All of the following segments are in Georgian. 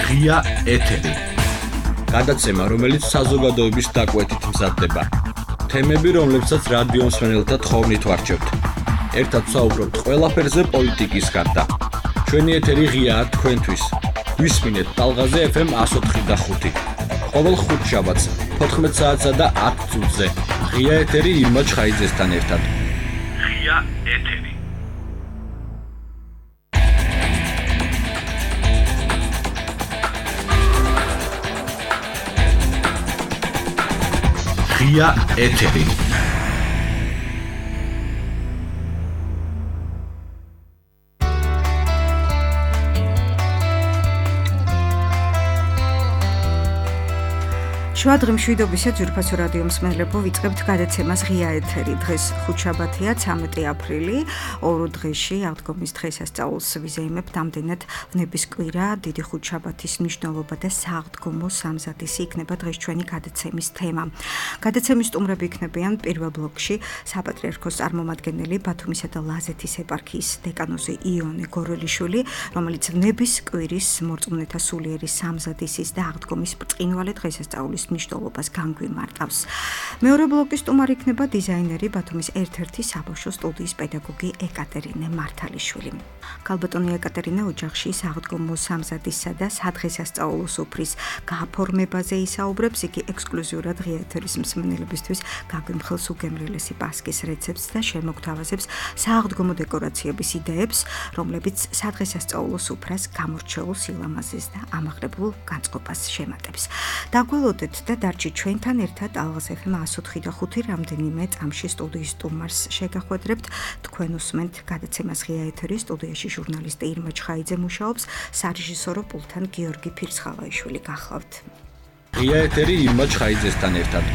ღია ეთერი. გადაცემა, რომელიც საზოგადოების დაკვეთით მზადდება. თემები, რომლებსაც რადიო მსმენელთა თხოვნით ვარჩევთ. ერთად ვსაუბრობთ ყველაფერზე პოლიტიკის გარდა. ჩვენი ეთერი ღიაა თქვენთვის. გვისმინეთ ტალღაზე FM 104.5. ყოველ ხუთშაბათს 14 საათსა და 10 წუთზე. ღია ეთერი ირმა ჩხაიძესთან ერთად. ღია ეთერი. ღია ეთერი. შუადღე მშვიდობისა ძვირფასო რადიო მსმენელებო, ვიწყებთ გადაცემას ღია ეთერი. დღეს ხუთშაბათია, 13 აპრილი, ორ დღეში, აღდგომის დღესასწაულს ვიზეიმებთ. ამდენად ვნების კვირა, დიდი ხუთშაბათის მნიშვნელობა და სააღდგომო სამზადისი იქნება დღეს ჩვენი გადაცემის თემა. გადაცემის სტუმრები იქნებიან პირველ ბლოკში საპატრიარქოს წარმომადგენელი ბათუმისა და ლაზეთის ეპარქიის დეკანოზი იონე გორელიშვილი, რომელიც ვნების კვირის მორწმუნეთა სულიერი სამზადისის და აღდგომის ბრწყინვალე დღესასწაულის მნიშვნელობას განგვიმარტავს. მეორე ბლოკის სტუმარი იქნება დიზაინერი ბათუმის ერთ-ერთი საბავშვო სტუდიის პედაგოგი ეკატერინე მართალიშვილი. ქალბატონი ეკატერინე ოჯახში სააღდგომო სამზადისა და სადღესასწაულო სუფრის გააფორმებაზე ისაუბრებს. იგი ექსკლუზიურად ღია ეთერის მსმენელებისთვის გაგვიმხელს უგემრიელესი პასკის რეცეპტს და შემოგთავაზებს სააღდგომო დეკორაციების იდეებს, რომლებიც სადღესასწაულო სუფრას გამორჩეულ სილამაზეს და ამაღლებულ განწყობას შემატებს. დაგველოდეთ და დარჩით ჩვენთან ერთად ალღას FM 104.5 რამდენიმე წამში სტუდიის სტუმარს შეგახვედრებთ. თქვენ უსმენთ გადაცემას ღია ეთერი, სტუდიაში ჟურნალისტი ირმა ჩხაიძე მუშაობს, სარეჟისორო პულტთან გიორგი ფირცხალაიშვილი გახლავთ. ღია ეთერი ირმა ჩხაიძესთან ერთად.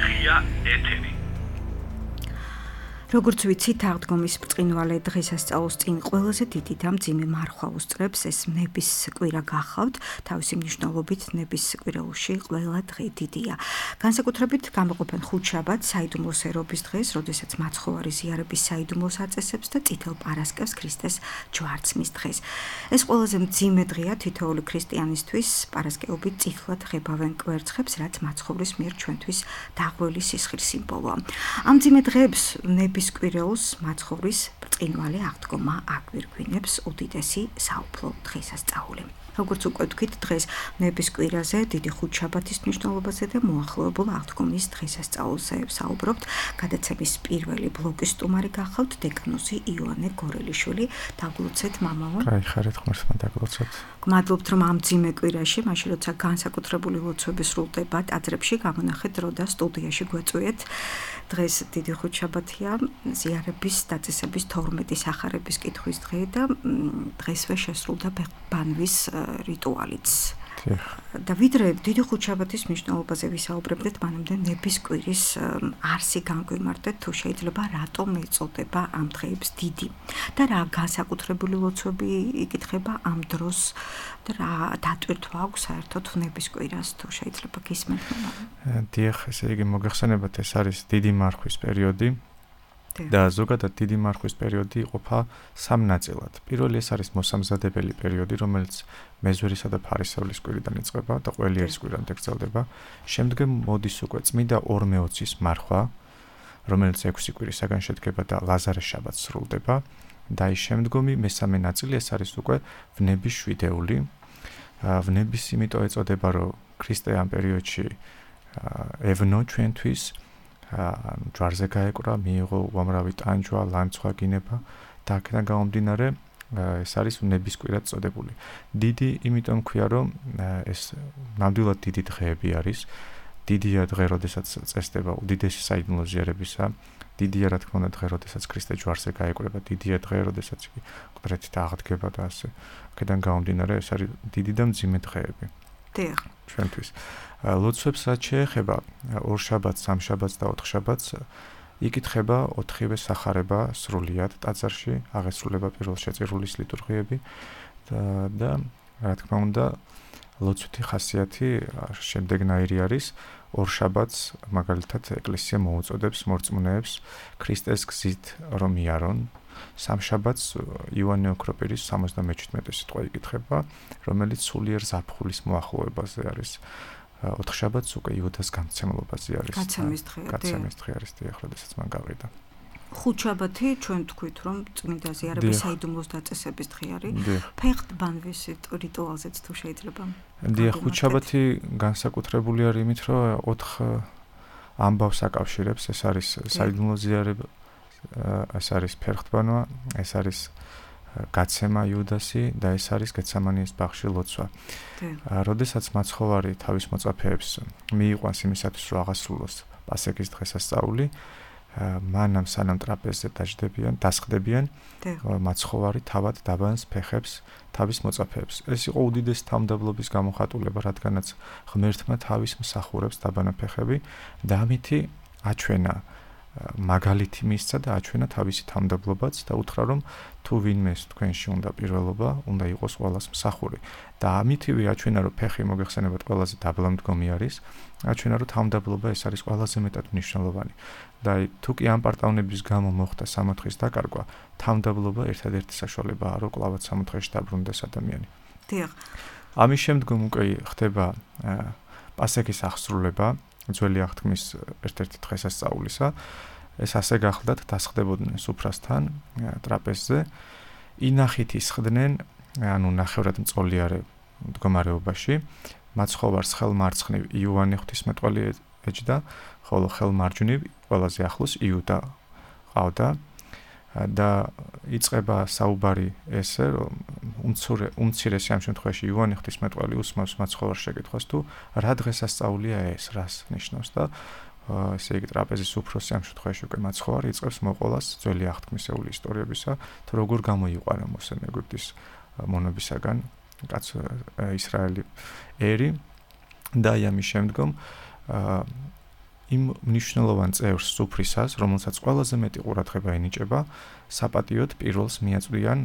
ღია ეთერი. როგორც ვიცით, აღდგომის ბრწყინვალე დღესასწაულს წინ ყველაზე დიდი და მძიმე მარხვა უსწრებს. ეს ვნების კვირა გახლავთ. თავისი მნიშვნელობით ვნების კვირაულში ყველა დღე დიდია. განსაკუთრებით გამოყოფენ ხუთშაბათს, საიდუმლოს ერობის დღეს, როდესაც მაცხოვარი ზიარების საიდუმლოს აწესებს და წითელ პარასკევს, ქრისტეს ჯვარცმის დღეს. ეს ყველაზე მძიმე დღეა თითოეული ქრისტიანისთვის. პარასკევობით წითლად ღებავენ კვერცხებს, რაც მაცხოვრის მიერ ჩვენთვის დაღვრილი სისხლის სიმბოლოა. ამ მძიმე დღეებს ვნების კვირეულს მაცხოვრის ბრწყინვალე აღდგომა აგვირგვინებს უდიდესი საუფლო დღესასწაული. როგორც უკვე ვთქვით, დღეს ვნების კვირაზე, დიდი ხუთშაბათის მნიშვნელობაზე და მოახლოებულ აღდგომის დღესასწაულზე ვსაუბრობთ. გადაცემის პირველი ბლოკის სტუმარი გახლავთ დეკანოზი იონე გორელიშვილი. დაგლოცეთ მამაო. გაიხარეთ ღმერთმა დაგლოცეთ. გმადლობთ, რომ ამ მძიმე კვირაში, მაშინ როცა განსაკუთრებული ლოცვები სრულდება ტაძრებში, გამონახეთ დრო და სტუდიაში გვეწვიეთ. დღეს დიდი ხუთშაბათია, ზიარების დაწესების 12 სახარების კითხვის დღე და დღესვე შესრულდა ბანვის რიტუალიც. და ვიდრე დიდი ხუთშაბათის მნიშვნელობაზე ვისაუბრებდეთ, მანამდე ვნების კვირის არსი განგვიმარტეთ, თუ შეიძლება რატომ ეწოდება ამ დღეებს დიდი და რა განსაკუთრებული ლოცვები იკითხება ამ დროს და რა დატვირთვა აქვს საერთოდ ვნების კვირას, თუ შეიძლება გისმენთ? დიახ, ესე იგი მოგეხსენებათ, ეს არის დიდი მარხვის პერიოდი. და ზოგადად დიდი მარხვის პერიოდი იყოფა სამ ნაწილად. პირველი ეს არის მოსამზადებელი პერიოდი, რომელიც მეზვერისა და ფარისევლის კვირიდან იწყება და ყველიერის კვირამდე გრძელდება. შემდგომ მოდის უკვე წმინდა ორმეოცის მარხვა, რომელიც 6 კვირისაგან შედგება და ლაზარეს შაბათს სრულდება. და ის შემდგომი მესამე ნაწილი ეს არის უკვე ვნების შვიდეული. ვნების იმიტომ ეწოდება, რომ ქრისტე ამ პერიოდში ევნო ჩვენთვის, ჯვარზე გაეკვრა, მიიღო უამრავი ტანჯვა, ლანცვა, გინება და აქედან გამომდინარე ეს არის ვნების კვირად წოდებული. დიდი იმიტომ ქვია, რომ ეს ნამდვილად დიდი დღეები არის. დიდია დღე, როდესაც წესდება უდიდესი საიდუმლო ზიარებისა. დიდია რა თქმა უნდა დღე, როდესაც ქრისტე ჯვარზე გაეკვრება. დიდია დღე, როდესაც იგი მკვდრეთით აღდგება და ასე. აქედან გამომდინარე ეს არის დიდი და მძიმე დღეები. დიახ. ჩვენთვის. ლოცვებს რაც შეეხება ორ შაბათს, სამ შაბათს და 4 შაბათს იკითხება 4-ვე სახარება სრულიად ტაძარში, აღესრულება პირველ შეწირულის ლიტურგიები და რა თქმა უნდა ლოცვითი ხასიათი შემდეგნაირი არის. ორ შაბათს მაგალითად ეკლესია მოუწოდებს მორწმუნეებს ქრისტეს გზით რომ იარონ სამშაბათს ივანე ოქროპირის 77 სიტყვა იკითხება, რომელიც სულიერ ზაფხულის მოახლოებაზე არის. 4 შაბათს უკვე იუდას გამცემლობაზე არის. გაცემის დღე არის დიახ, როდესაც მან გავიდა. 5 შაბათი ჩვენ თქვით რომ წმინდა ზიარების საიდუმლოს დაწესების დღე არის. ფეხტბანვის რიტუალზეც თუ შეიძლება. დიახ, 5 შაბათი განსაკუთრებული არის იმით, რომ 4 ამბავს აკავშირებს, ეს არის საიდუმლო ზიარება, ეს არის ფეხტბანვა, ეს არის გაცემა იუდასი და ეს არის გეცემანიის ბაღში ლოცვა. როდესაც მაცხოვარი თავის მოწაფეებს მიიყვანს იმისათვის, რომ აღასრულოს პასექის დღესასწაული, მანამ სანამ ტრაპეზზე დასხდებიან, მაცხოვარი თავად დაბანს ფეხებს თავის მოწაფეებს. ეს იყო უდიდესი თავმდაბლობის გამოხატულება, რადგანაც ღმერთმა თავის მსახურებს დაბანა ფეხები და ამითი აჩვენა მაგალითი მისცა და აჩვენა თავისი თავმდაბლობაც და უთხრა რომ თუ ვინმეს თქვენში უნდა პირველობა, უნდა იყოს ყველას მსახური. და ამითივე აჩვენა რომ ფეხი მოგეხსენებათ ყველაზე დაბლამდგომი არის, აჩვენა რომ თავმდაბლობა ეს არის ყველაზე მეტად მნიშვნელოვანი. და თუ კი ამ პარტავნების გამო მოხდა სამოთხის დაკარგვა, თავმდაბლობა ერთადერთი საშუალებაა, რომ კლავად სამოთხეში დაბრუნდეს ადამიანი. დიახ. ამის შემდგომ უკვე ხდება პასექის აღსრულება, ძველი აღთქმის ერთ-ერთი დღესასწაულისა. ეს ასე გახლდათ, დასხდებოდნენ სუფრასთან ტრაპეზზე, ინახით ისხდნენ, ანუ ნახევრად მწოლიარე მდგომარეობაში, მაცხოვარს ხელმარცხნივ იოანე ღვთისმეტყველი ეჯდა, ხოლო ხელმარჯვნივ ყველაზე ახლოს იუდა ყავდა და იწყება საუბარი ესე, რომ უმცირესი ამ შემთხვევაში იოანე ღვთისმეტყველი უსმავს მაცხოვარს შეკითხვას თუ რა დღესასწაულია ეს, რას ნიშნავს და ესე იგი ტრაპეზის უფროსი ამ შემთხვევაში უკვე მაცხოვარი იწყებს მოყოლას ძველი აღთქმისეული ისტორიებისა, თუ როგორ გამოიყვანა მოსე ეგვიპტის მონობისაგან კაც ისრაელი ერი და ამის შემდგომ იმ მნიშვნელოვან წევრს სუფრისას, რომელსაც ყველაზე მეტი ყურადღება ენიჭება, საპატიოდ პირველს მიაწვდიან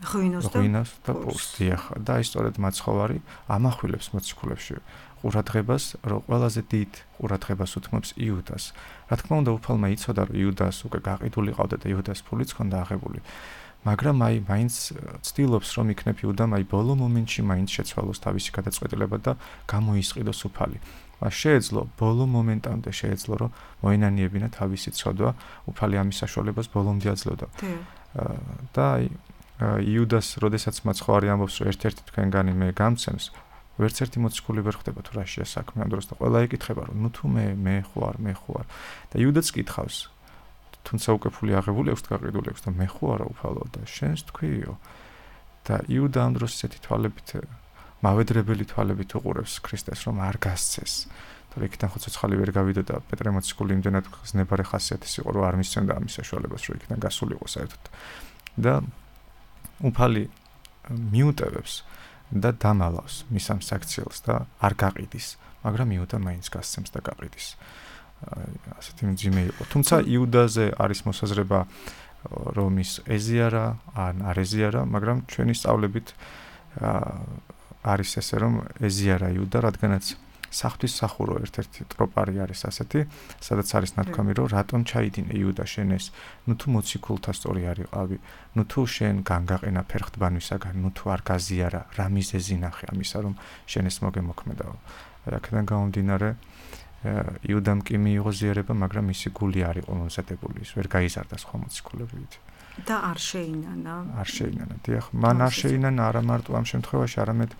ღვინოს და პურს. და ისტორიად მაცხოვარი ამახვილებს მოციქულებში ყურადღებას, რომ ყველაზე დიდ ყურადღებას უთმობს იუდას. რა თქმა უნდა, უფალმა იცოდა, რომ იუდას უკვე გაყიდული ყავდა და იუდას ფულიც ჰქონდა აღებული. მაგრამ მაინც ცდილობს, რომ იქნებ იუდამ ბოლო მომენტში მაინც შეცვალოს თავისი გადაწყვეტილება და გამოისყიდოს უფალი. შეეძლო ბოლო მომენტამდე შეეძლო, რომ მოენანიებინა თავისი ცოდვა, უფალი ამის საშუალებას ბოლომდე აძლევდა. და იუდას, როდესაც მაცხოვარი ამბობს, რომ ერთ-ერთი თქვენგანი მე გამცემს, ვერც ერთი მოციქული ვერ ხვდება თუ რაშია საქმე ამ დროს და ყველა იკითხება, რომ ნუ თუ მე ხوار და იუდაც კითხავს, თუმცა უკვე ფული აღებული აქვს, გაყიდული აქვს და მე ხო არა უფალო და შენს თქვიო. და იუდა ამ დროს ესეთი თვალებით მავედრებელი თვალებით უყურებს ქრისტეს, რომ არ გასცეს. თორე იქიდან ხო ცოცხალი ვერ გავიდა და პეტრე მოციქული იმდენად ზნებარე ხასიათის იყო, რომ არ მისცემდა ამის საშუალებას, რომ იქიდან გასულიყო საერთოდ. და უფალი მიუტევებს და დამალავს მის ამ საქციელს და არ გაყიდის, მაგრამ იუდა მაინც გასცემს და გაყიდის. ასეთი მძიმე იყო. თუმცა იუდაზე არის მოსაზრება, რომ ის ეზიარა ან არ ეზიარა, მაგრამ ჩვენი სწავლებით არის ესე, რომ ეზიარა იუდა, რადგანაც საღვთის სახურო ერთ-ერთი ტროპარი არის ასეთი, სადაც არის ნათქვამი, რომ რატომ ჩაიდინე იუდა შენ ეს, ნუ თუ მოციქულთა სწორი არ იყავი, ნუ თუ შენ განგაყენა ფერხტბანვისაგან, ნუ თუ არ გაზიარა, რა მიზეზი ნახე ამისა, რომ შენ ეს მოგემოქმედაო. აქედან გამომდინარე, იუდამ კი მიიღო ზიარება, მაგრამ მისი გული არ იყო მომზადებული, ის ვერ გაიზარდა სხვა მოციქულებივით. და არ შეინანა. დიახ, მან არ შეინანა არა მარტო ამ შემთხვევაში, არამედ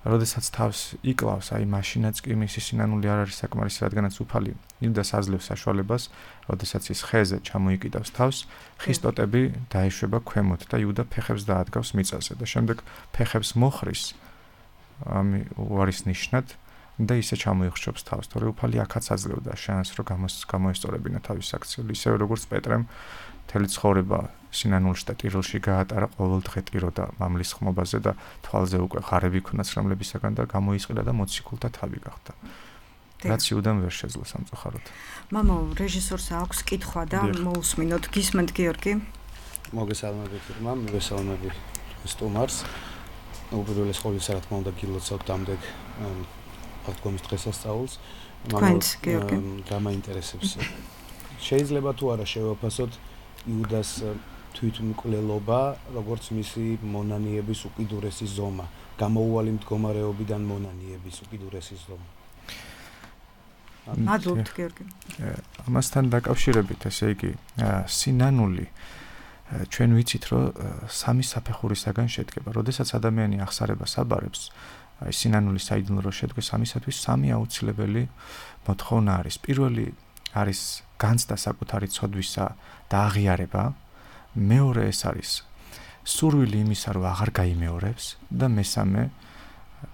როდესაც თავს იკლავს, მაშინაც კი მისი სინანული არ არის საკმარისი, რადგანაც უფალი იუდას აძლევს საშუალებას, როდესაც ის ხეზე ჩამოიკიდავს თავს, ხის ტოტები დაეშვება ქვემოთ და იუდა ფეხებს დაადგავს მიწაზე და შემდეგ ფეხებს მოხრის უარის ნიშნად და ისე ჩამოიხშობს თავს, თორე უფალი აქაც აძლევდა შანსს, რომ გამოესწორებინა თავის საქციელი, ისევე როგორც პეტრემ მთელი ცხოვრება სინანულში და ტიროლში გაატარა, ყოველდღე ტიროდა მამლის ხმობაზე და თვალზე უკვე ხარები ქონდა ცრემლებისაგან და გამოისყიდა და მოციქულთა თავი გახდა. რაც იუდამ ვერ შეძლო სამწუხაროდ. მამო, რეჟისორს აქვს კითხვა და მოусმინოთ. გისმენთ გიორგი? მოგესალმებით, irma, მოგესალმებით სტუმარს. უპირველეს ყოვლისა, რა თქმა უნდა, გილოცავთ ამდენ აღდგომის დღესასწაულს. თქვენც, გიორგი? გამაინტერესებს. შეიძლება თუ არა შევაფასოთ იუდას თვითმკვლელობა, როგორც მისი მონანიების უკიდურესი ზომა, გამოუვალი მდგომარეობიდან მონანიების უკიდურესი ზომა. მადლობთ გიორგი. ამასთან დაკავშირებით, ესე იგი, სინანული ჩვენ ვიცით, რომ სამი საფეხურისაგან შედგება. როდესაც ადამიანი აღსარებას აბარებს, აი სინანული საიდუმლო რო შედგეს, ამისათვის სამი აუცილებელი მოთხოვნა არის. პირველი არის განცდა საკუთარი ცოდვისა და აღიარება. მეორე ეს არის სურვილი იმისა, რომ აღარ გაიმეორებს და მესამე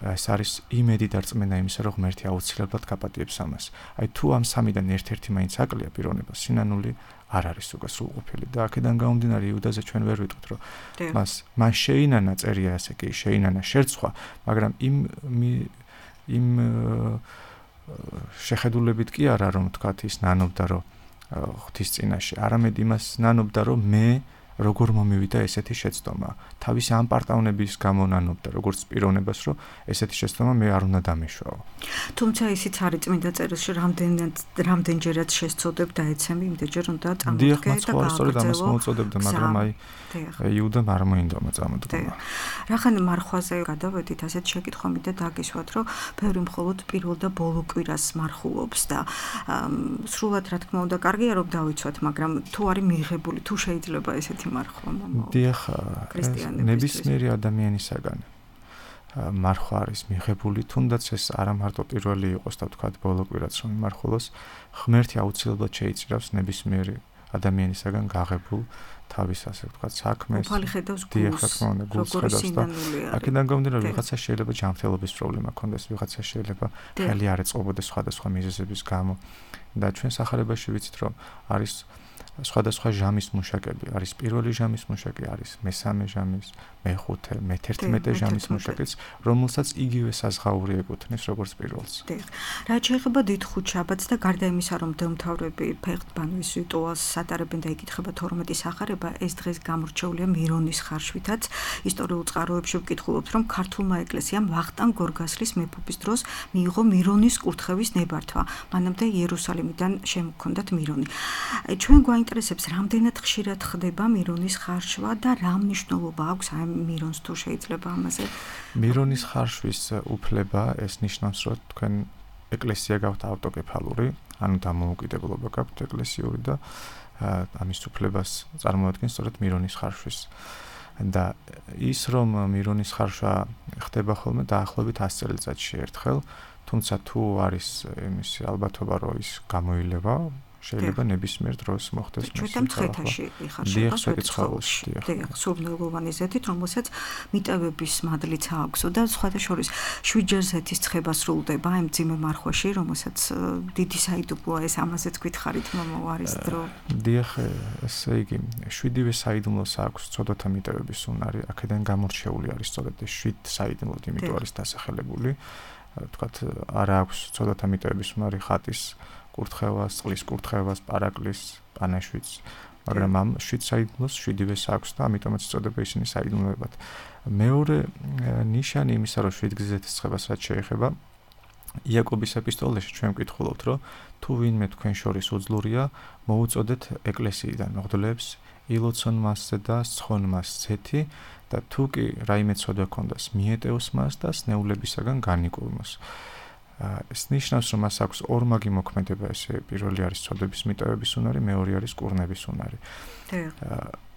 ეს არის იმედი და რწმენა იმისა, რომ ღმერთი აუცილებლად გაპატიებს ამას. აი თუ ამ სამიდან ერთ-ერთი მაინც აკლია პიროვნება, სინანული არ არის უკვე სრულყოფილი და აქედან გამომდინარე იუდაზე ჩვენ ვერ ვიტყვით, რომ მან შეინანა წერია ასე კი, შეინანა შერცვა, მაგრამ იმ შეხედულებით კი არა, რომ თქვათ ის ნანობდა, რომ ღვთის წინაშე, არამედ იმას ნანობდა, რომ მე როგორ მომივიდა ესეთი შეცდომა. თავის ამ პარტავნების გამო ნანობდა, როგორც პიროვნებას, რომ ესეთი შეცდომა მე არ უნდა დამეშვაო. თუმცა ისიც არის წმინდა წერილში, რამდენჯერაც შესწოდებ და ეცემი, იმდენჯერ უნდა წამოდგე და დიახ, სწორედ ამას მოუწოდებდა, მაგრამ აი იუდამ არ მოინდომა წამოდგომა. რახან მარხვაზე გადავედით, ასეთ შეკითხვა მინდა დაგისვათ, რომ ბევრი მხოლოდ პირველ და ბოლო კვირას მარხულობს და სრულად რა თქმა უნდა კარგია რომ დავიცვათ, მაგრამ თუ არის მიღებული, თუ შეიძლება ესეთი მარხვა მომავალ. დიახ, ნებისმიერი ადამიანისაგან მარხვა არის მიღებული, თუნდაც ეს არა მარტო პირველი იყოს და თქვათ ბოლო კვირაც რომ იმარხულოს, ღმერთი აუცილებლად შეიწირავს ნებისმიერი ადამიანისაგან გაღებულ თავის ასე ვთქვათ საქმეს. უფალი ხედავს დიახ, რა თქმა უნდა, გულს ხედავს და აქედან გამომდინარე ვიღაცა შეიძლება ჯანმრთელობის პრობლემა ქონდეს, ვიღაცა შეიძლება ხელი არ ეწყობოდეს სხვადასხვა მიზეზების გამო და ჩვენ სახარებაში ვიცით რომ არის სხვადასხვა ჟამის მუშაკები, არის პირველი ჟამის მუშაკი, არის მესამე ჟამის, მეხუთე, მე-11 ჟამის მუშაკიც, რომელსაც იგივე საზღაური ეკუთვნის როგორც პირველს. დიახ. რაც შეეხება დიდ ხუთშაბათს და გარდა იმისა, რომ დემთავრები ფეხბურთის რიტუალს სატარებენ და იკითხება 12 სახარება, ეს დღეს გამორჩეულია მირონის ხარშვითაც. ისტორიულ წყაროებში ვკითხულობთ, რომ ქართულმა ეკლესიამ ვახტანგ გორგასლის მეფობის დროს მიიღო მირონის კურთხევის ნებართვა. მანამდე იერუსალიმიდან შემოქონდათ მირონი. ჩვენ გვაინტერესებს, რამდენად ხშირად ხდება მირონის ხარშვა და რა მნიშვნელობა აქვს ამ მირონს თუ შეიძლება ამაზე? მირონის ხარშვის უფლება ეს ნიშნავს, რომ თქვენ ეკლესია გაქვთ ავტოკეფალური, ანუ დამოუკიდებლობა გაქვთ ეკლესიური და ამის უფლებას წარმოადგენს სწორედ მირონის ხარშვის. და ის რომ მირონის ხარშვა ხდება ხოლმე დაახლოებით 100 წელიწადში ერთხელ, თუმცა თუ არის იმისი ალბათობა, რომ ის გამოილევა, შეიძლება ნებისმიერ დროს მოხდეს მის მცხეთაში იხარშება სვეტიცხოველში. დიახ, სურნელოვანი ზეთით, რომელსაც მიტევების მადლიც აქვს და სხვათა შორის 7-ჯერ ზეთის ცხება სრულდება იმ ძიმე მარხვაში, რომელსაც დიდი საიდუმლოა ეს ამაზეც გითხარით მომავალ დრო. დიახ, ესე იგი 7-ვე საიდუმლოს აქვს ცოდოთა მიტევების უნარი, აქედან გამორჩეული არის სწორედ 7 საიდუმლოდ, იმიტომ არის დასახელებული. თქვათ, არა აქვს ცოდოთა მიტევების უნარი ხატის კურთხევას, წყლის კურთხევას, პარაკლის, პანაშვიდს, მაგრამ ამ 7 საიდუმლოს 7-ვეს აქვს და ამიტომაც იწოდება ისინი საიდუმლოებად. მეორე ნიშანი იმისა, რომ 7 გზეთის ცხებას რაც შეეხება, იაკობის ეპისტოლეში ჩვენ ვკითხულობთ, რომ თუ ვინმე თქვენ შორის უძლურია, მოუწოდეთ ეკლესიიდან მღვდლებს, ილოცონ მასზე და სცხონ მას ზეთი და თუ კი რაიმე ცოდვა ქონდას, მიეტევოს მას და სნეულებისაგან განიკურნოს. ეს ნიშნავს, რომ მას აქვს ორმაგი მოქმედება, ესე პირველი არის ცოდვების მიტევების უნარი, მეორე არის კურნების უნარი.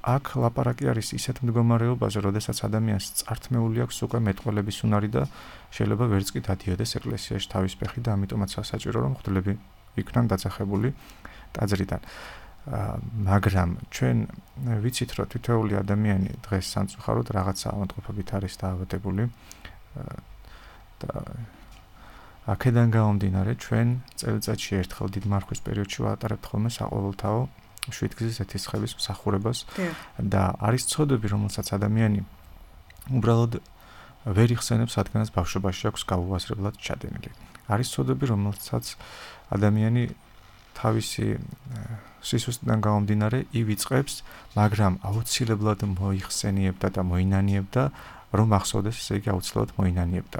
აქ ლაპარაკი არის ისეთ მდგომარეობაზე, როდესაც ადამიანს წართმეული აქვს უკვე მეტყველების უნარი და შეიძლება ვერც კი დადიოდეს ეკლესიაში თავის ფეხი და ამიტომაც საჭირო რომ მღვდლები იქნან დაძახებული ტაძრიდან. მაგრამ ჩვენ ვიცით, რომ თითოეული ადამიანი დღეს სამწუხაროდ რაღაცა ავადმყოფობით არის დაავადებული და აქედან გამომდინარე ჩვენ წელიწადში ერთხელ დიდ მარხვის პერიოდში ვატარებთ ხოლმე საყოველთაო 7 გზის ეთისხების მსახურებას და არის ცოდვები, რომელსაც ადამიანი უბრალოდ ვერ იხსენებს, რადგანაც ბავშვობაში აქვს გაუაზრებლად ჩადენილი. არის ცოდვები, რომელსაც ადამიანი თავისი სისუსტიდან გამომდინარე ივიწყებს, მაგრამ აუცილებლად მოიხსენიებდა და მოინანიებდა, რომ ახსოვდეს, ესე იგი აუცილებლად მოინანიებდა.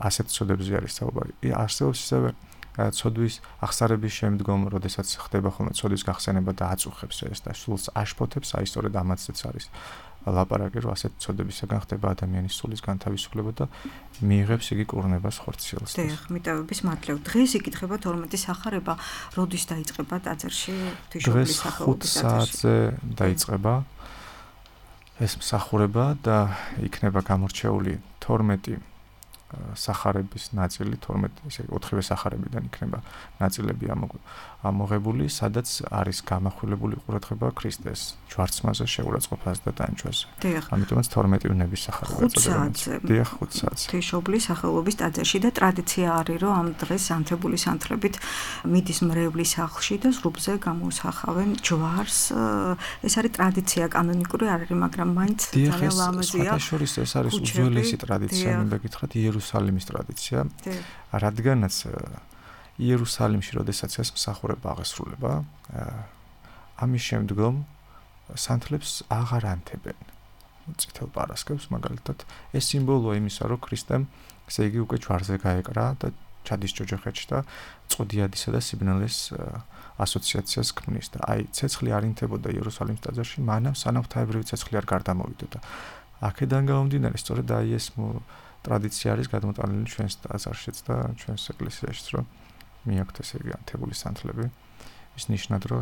ასეთ ცოდვებზე არის საუბარი. არსებობს ისევე ცოდვის აღსარების შემდგომ, როდესაც ხდება ხოლმე ცოდვის გახსენება და აწუხებს ეს და სულს აშფოთებს, აი სწორედ ამაცაც არის ლაპარაკი, რომ ასეთ ცოდებისაგან ხდება ადამიანის სულის განთავისუფლება და მიიღებს იგი კურნებას ხორციელს. დიახ, მიტოვების მადლობ. დღეს იკითხება 12 სახარება, როდის დაიწყება ტაძარში ღვთისმშობლის სახელობის ტაძარში? 5 საათზე დაიწყება ეს მსახურება და იქნება გამორჩეული 12 სახარების ნაწილი, 12 ისე 4-ვე სახარებიდან იქნება ნაწილები ამოღებული, სადაც არის გამახვილებული ყურადღება ქრისტეს ჯვარცმაზე, შეურაცხყოფაზე და ტანჯვაზე. ამიტომაც 12 ვნების სახარება ეწოდება. დიახ, 5 საათზე. ღვთისმშობლის სახელობის ტაძარში და ტრადიცია არის, რომ ამ დღეს ანთებული სანთლებით მიდის მრევლის სახლში და ზრუბზე გამოსახავენ ჯვარს. ეს არის ტრადიცია, კანონიკური არ არის, მაგრამ მაინც ძალიან ლამაზია. დიახ, შორის ეს არის უძველესი ტრადიცია, მინდა გითხრათ, იერუსალიმის ტრადიცია. რადგანაც იერუსალიმში, როდესაც ეს მსახურება აღესრულება, ამის შემდგომ სანთლებს აღარ ანთებენ. წითელ პარასკევს მაგალითად, ეს სიმბოლოა იმისა, რომ ქრისტემ, ესე იგი, უკვე ჯვარზე გაეკრა და ჩადის ჯოჯოხეთში და წოდიადისა და სიბნელეს ასოციაციას ქმნის და აი ცეცხლი არ ინთებოდა იერუსალიმის ტაძარში, მანამ სანამ ღვთაებრივი ცეცხლი არ გარდამოვიდოდა. აქედან გამომდინარე, სწორედ აი ეს ტრადიცია არის გადმოტანილი ჩვენს ტაძარშიც და ჩვენს ეკლესიაშიც, რომ მიაქვთ ესე იგი ანთებული სანთლები. ის ნიშნად, რომ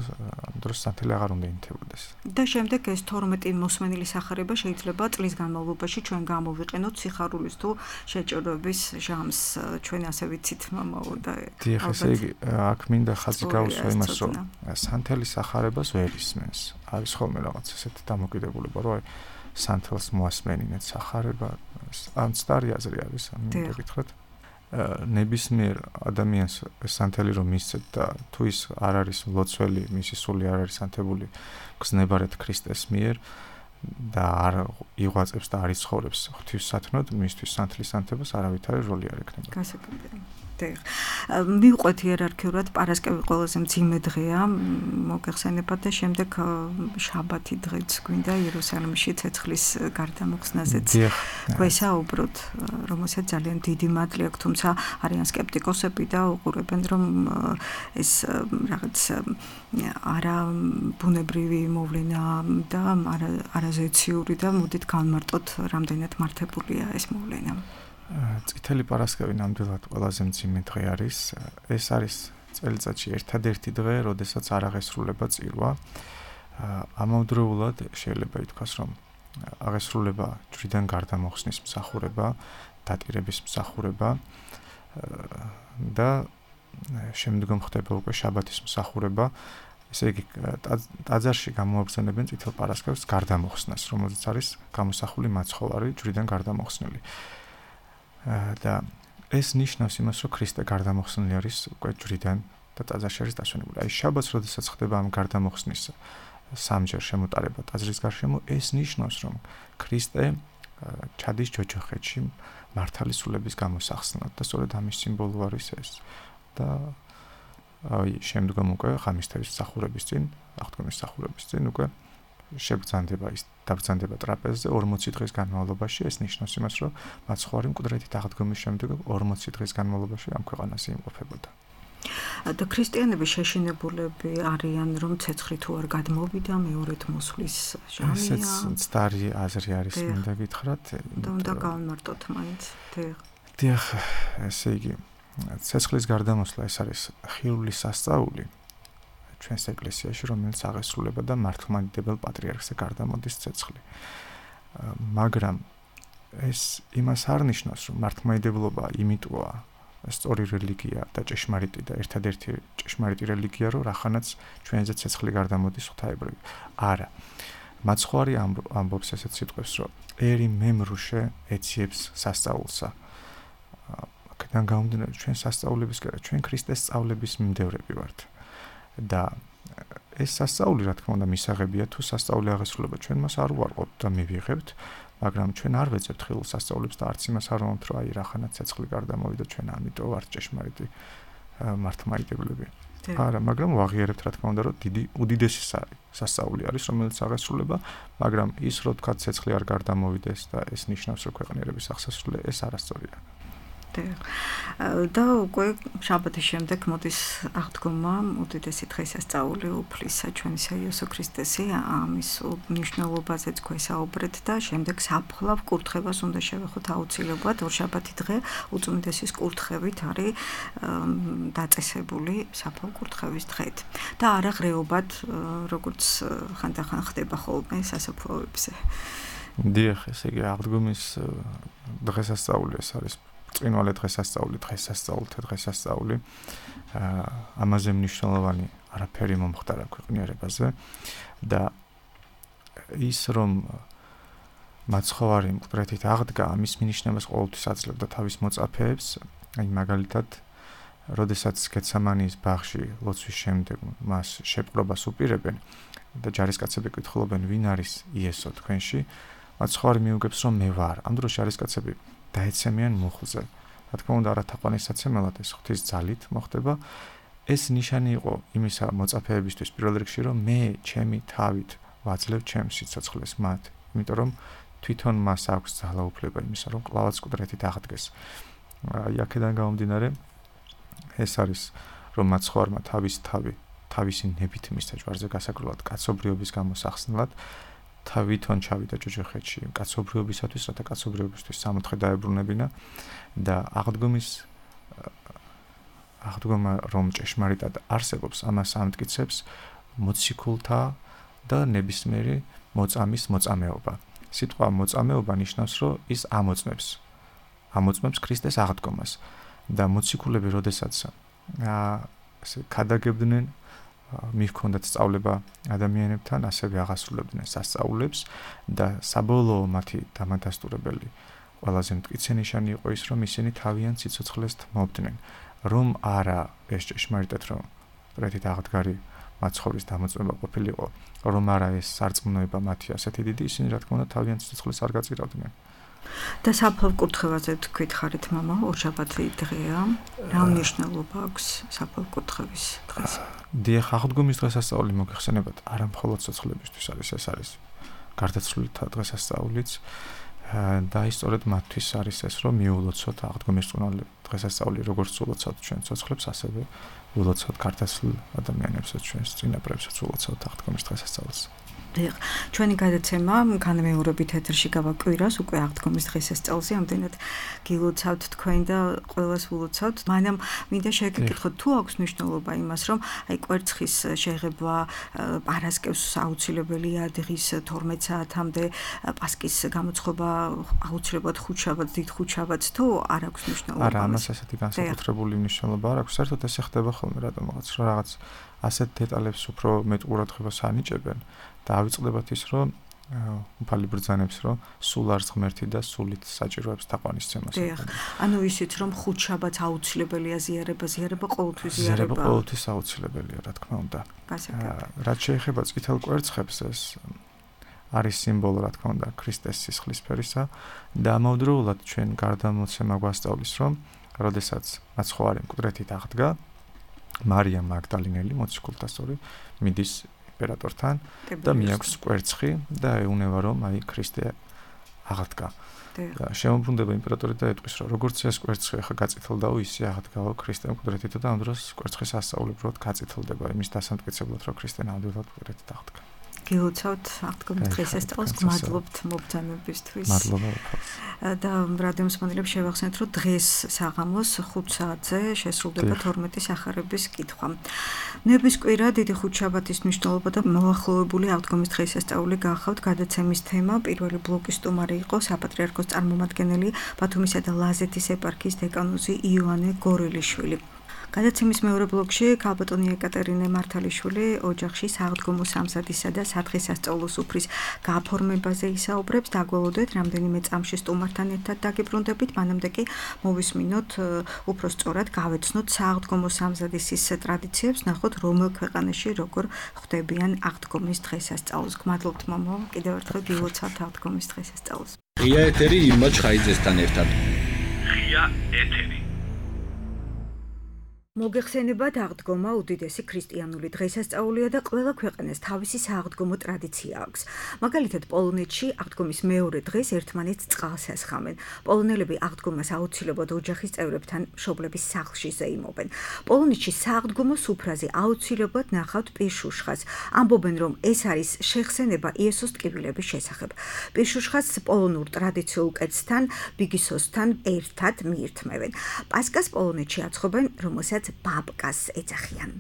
დროს სანთელი აღარ უნდა ინთებოდეს. და შემდეგ ეს 12 მოსმენილი სახარება შეიძლება წლის განმავლობაში ჩვენ გამოვიყენოთ სიხარულის თუ შეჭრების ჟამს. ჩვენ ასე ვიცით, მამაო და დიახ, ესე იგი, აქ მინდა ხაზი გაუსვა იმას, რომ სანთელის სახარებას ვერ ისმენს. არის ხოლმე რაღაც ესეთი დამოკიდებულება, რომ სანთელს მოასმენინეთ სახარება, ან სტარი აზრი არის, მინდა გითხრათ. ნებისმიერ ადამიანს სანთელი რომ მისცეთ და თუ ის არ არის ლოცველი, მისი სული არ არის ანთებული გზნებარეთ ქრისტეს მიერ და არ იღვაწებს და არ იცხოვრებს ღვთისსათნოდ, მისთვის სანთლის ანთებას არავითარი როლი არ ექნება. გასაგებია. მივყვეთ იერარქიულად პარასკევი ყველაზე მძიმე დღეა, მოგეხსენებათ და შემდეგ შაბათი დღეც გვინდა იერუსალიმში ცეცხლის გარდამოხსნაზეც გვესაუბროთ, რომელსაც ძალიან დიდი მადლი აქვს, თუმცა არიან სკეპტიკოსები და უყურებენ, რომ ეს რაღაც არა ბუნებრივი მოვლენა და არაზეციური და მოდით განმარტოთ, რამდენად მართებულია ეს მოვლენა. წითელი პარასკევი ნამდვილად ყველაზე მძიმე დღე არის. ეს არის წელიწადში ერთადერთი დღე, როდესაც არ აღესრულება წირვა. ამავდროულად შეიძლება ითქვას, რომ აღესრულება ჯვრიდან გარდამოხსნის მსახურება, დატირების მსახურება და შემდგომ ხდება უკვე შაბათის მსახურება. ესე იგი, ტაძარში გამოაგზავნებენ წითელ პარასკევს გარდამოხსნას, რომელზეც არის გამოსახული მაცხოვარი ჯვრიდან გარდამოხსნილი. და ეს ნიშნავს იმას, რომ ქრისტე გარდამოხსნილი არის უკვე ჯვრიდან და ტაძარში არის დასვენებული. აი შაბათს, როდესაც ხდება ამ გარდამოხსნის სამჯერ შემოტარება ტაძრის გარშემო, ეს ნიშნავს, რომ ქრისტე ჩადის ჯოჯოხეთში მართალი სულების გამოსახსნად და სწორედ ამის სიმბოლო არის ეს. და აი შემდგომ უკვე ღამისთების მსახურების წინ, აღდგომის მსახურების წინ უკვე დაბრძანდება ტრაპეზზე 40 დღის განმავლობაში. ეს ნიშნავს იმას, რომ მაცხოვარი მკვდრეთით აღდგომის შემდეგ 40 დღის განმავლობაში ამ ქვეყანაზე იმყოფებოდა. და ქრისტიანები შეშინებულები არიან, რომ ცეცხლი თუ არ გადმოვიდა, მეორედ მოსვლის ჟამია. ესეც მცდარი აზრი არის, მინდა გითხრათ. და უნდა გავამარტოთ მაინც. დიახ, ესე იგი, ცეცხლის გარდამოსვლა ეს არის ხილული სასწაული ჩვენს ეკლესიაში, რომელიც აღესრულება და მართლმადიდებელ პატრიარქზე გარდამოდის ცეცხლი. მაგრამ ეს იმას არ ნიშნავს, რომ მართლმადიდებლობა იმიტოა სწორი რელიგია და ჭეშმარიტი და ერთადერთი ჭეშმარიტი რელიგია, რომ რახანაც ჩვენზე ცეცხლი გარდამოდის ღვთაებრივი. არა. მაცხოვარი ამბობს ესეთ სიტყვებს, რომ ერი მემრუშე ეციებს სასწაულსა. აქედან გამომდინარე, ჩვენ სასწაულების გარდა, ჩვენ ქრისტეს სწავლების მიმდევრები ვართ. და ეს სასწაული, რა თქმა უნდა, მისაღებია, თუ სასწაული აღესრულება, ჩვენ მას არ უარყოფთ და მივიღებთ, მაგრამ ჩვენ არ ვეძებთ ხილულ სასწაულებს და არც იმას არ ვამბობთ, რომ აი რახანაც ცეცხლი გარდამოვიდა, ჩვენ ამიტომ ვართ ჭეშმარიტი მართლმადიდებლები. არა, მაგრამ ვაღიარებთ, რა თქმა უნდა, რომ უდიდესი სასწაული არის, რომელიც აღესრულება, მაგრამ ის, რომ თქვა, ცეცხლი არ გარდამოვიდეს და ეს ნიშნავს, რომ ქვეყნიერების აღსასრულე, ეს არასწორია. და უკვე შაბათის შემდეგ მოდის აღდგომა უდიდესი დღესასწაული უფლისა ჩვენისა იესო ქრისტესი ამის მნიშვნელობაზეც გვესაუბრეთ და შემდეგ საფლავ კურთხევას უნდა შევეხოთ აუცილებლად ორშაბათი დღე უწმინდესის კურთხევით არის დაწესებული საფლავ კურთხევის დღედ და არა ღრეობად როგორც ხანდახან ხდება ხოლმე სასაფლაოებზე. დიახ, ესე იგი აღდგომის დღესასწაული ეს არის წინვალე დღესასწაულთა დღესასწაული. ამაზე მნიშვნელოვანი არაფერი მომხდარა ქვეყნიერებაზე და ის რომ მაცხოვარი მკვდრეთით აღდგა, ამის მინიშნებას ყოველთვის აძლევდა თავის მოწაფეებს, აი მაგალითად, როდესაც გეცემანის ბაღში ლოცვის შემდეგ მას შეპყრობას უპირებენ და ჯარისკაცები კითხულობენ, ვინ არის იესო თქვენში, მაცხოვარი მიუგებს, რომ მე ვარ. ამ დროს ჯარისკაცები დაეცემიან მუხლზე. რა თქმა უნდა, არათაყვანისაცემელად ეს ღვთის ძალით მოხდება. ეს ნიშანი იყო იმისა მოწაფეებისთვის პირველ რიგში, რომ მე ჩემი თავით ვაძლევ ჩემს სიცოცხლეს მათ, იმიტომ რომ თვითონ მას აქვს ძალაუფლება იმისა, რომ კლავაც მკვდრეთით აღდგეს. აქედან გამომდინარე, ეს არის, რომ მაცხოვარმა თავისი ნებით მისცა ჯვარზე გასაგრულად კაცობრიობის გამოსახსნელად, თვითონ ჩავიდა ჯოჯოხეთში კაცობრიობისათვის, რათა კაცობრიობისთვის სამოთხე დაებრუნებინა და აღდგომა რომ ჭეშმარიტად არსებობს, ამას ამტკიცებს მოციქულთა და ნებისმიერი მოწამის მოწამეობა. სიტყვა მოწამეობა ნიშნავს, რომ ის ამოწმებს ქრისტეს აღდგომას და მოციქულები, როდესაც ქადაგებდნენ მიჰქონდათ სწავლება ადამიანებთან, ასევე აღასრულებდნენ სასწაულებს და საბოლოო მათი დამადასტურებელი ყველაზე მტკიცე ნიშანი იყო ის, რომ ისინი თავიანთ სიცოცხლეს თმობდნენ, რომ არა ეს ჭეშმარიტად რომ მკვდრეთით აღდგარი მაცხოვრის დამოწმება ყოფილიყო, რომ არა ეს სარწმუნოება მათი ასეთი დიდი, ისინი რა თქმა უნდა თავიანთ სიცოცხლეს არ გაწირავდნენ. და საფლავ კურთხევაზე თქვით ხარით მამა, ორშაბათი დღეა. რა მნიშვნელობა აქვს საფლავ კურთხევის დღეს? დიახ, აღდგომის დღესასწაული მოგეხსენებათ, არა მხოლოდ სიცოცხლებისთვის არის, ეს არის გარდაცვლილთა დღესასწაულიც და ისწორედ მათთვის არის ეს, რომ მიულოცოთ აღდგომის წინვალე დღესასწაული, როგორც ულოცავთ ჩვენ სიცოცხლებს, ასევე ულოცავთ გარდაცვლილ ადამიანებსაც, ჩვენს წინაპრებსაც ულოცავთ აღდგომის დღესასწაულს. ჩვენი გადაცემა განმეორებით ეთერში გავაკვირას უკვე აღდგომის დღესასწაულზე, ამდენად გილოცავთ თქვენ და ყველას ულოცავთ. მანამ მინდა შეგეკითხოთ, თუ აქვს მნიშვნელობა იმას, რომ აი კვერცხის შეღება პარასკევს აუცილებელია დღის 12 საათამდე, პასკის გამოცხობა აუცილებლად ხუთშაბათს, დიდ ხუთშაბათს, თუ არ აქვს მნიშვნელობა? არა, ამას ასეთი განსაკუთრებული მნიშვნელობა არ აქვს. საერთოდ ეს ხდება ხოლმე რატომღაც, რომ რაღაც ასეთ დეტალებს უფრო მეტ ყურადღებას ანიჭებენ და ავიწყდებათ ის, რომ უფალი ბრძანებს, რომ სულ არც ღმერთი და სულით საჭიროებს თაყვანისცემას. ანუ ისიც, რომ ხუთშაბათს აუცილებელია ზიარება ყოველთვის ზიარება. ზიარება ყოველთვის აუცილებელია, რა თქმა უნდა. რაც შეეხება წითელ კვერცხებს, ეს არის სიმბოლო, რა თქმა უნდა, ქრისტეს სისხლისფერისა და ამავდროულად ჩვენ გარდამოცემა გვასწავლის, რომ როდესაც მაცხოვარი მკვდრეთით აღდგა, მარია მაგდალინელი, მოციქულთა სწორი, მიდის იმპერატორთან და მიაქვს კვერცხი და ეუნება, რომ აი ქრისტე აღდგა. და შემოbrunდება იმპერატორი და ეტყვის, რომ როგორც ეს კვერცხი ახლა გაწითლდაო, ისე აღდგაო ქრისტე მკვდრეთით და ამ დროს კვერცხის ასწავლებლად გაწითლდება იმის დასამტკიცებლად, რომ ქრისტე ნამდვილად მკვდრეთით აღდგა. გილოცავთ აღდგომის დღესასწაულს, გმადლობთ მობრძანებისთვის. მადლობა. და რადიომსმენელებს შევახსენეთ, რომ დღეს საღამოს 5 საათზე შესრულდება 12 სახარების კითხვა. ნების კვირა, დიდი ხუთშაბათის მნიშვნელობა და მოახლოებული აღდგომის დღესასწაული გახავთ გადაცემის თემა. პირველი ბლოკის სტუმარი იყო საპატრიარქოს წარმომადგენელი, ბათუმისა და ლაზეთის ეპარქიის დეკანოზი იოანე გორელიშვილი. გადაცემის მეორე ბლოკში ქალბატონი ეკატერინე მართალიშვილი ოჯახში სააღდგომო სამზადისა და სადღესასწაულო სუფრის გაფორმებაზე ისაუბრებს. დაგველოდეთ რამდენიმე წამში სტუმართან ერთად დაგიბრუნდებით, მანამდე კი მოვისმინოთ უფრო სწორად გავეცნოთ სააღდგომო სამზადისის ტრადიციებს, ნახოთ რომელ ქვეყანაში როგორ ხვდებიან აღდგომის დღესასწაულს. გმადლობთ მამა, კიდევ ერთხელ გილოცავთ აღდგომის დღესასწაულს. ღია ეთერი ილმა ჩხაიძესთან ერთად. ღია ეთერი მოგეხსენებათ, აღდგომა უდიდესი ქრისტიანული დღესასწაულია და ყველა ქვეყანას თავისი სააღდგომო ტრადიცია აქვს. მაგალითად, პოლონეთში აღდგომის მეორე დღეს ერთმანეთს წყალს ასხამენ. პოლონელები აღდგომას აუცილებლად ოჯახის წევრებთან მშობლების სახლში ზეიმობენ. პოლონეთში სააღდგომო სუფრაზე აუცილებლად ნახავთ პირშუშხას. ამბობენ, რომ ეს არის შეხსენება იესოს ტკივილების შესახებ. პირშუშხას პოლონურ ტრადიციულ კერძთან, ბიგისოსთან ერთად მიირთმევენ. პასკას პოლონეთში აცხობენ, რომელსაც ბაბკას ეძახიან.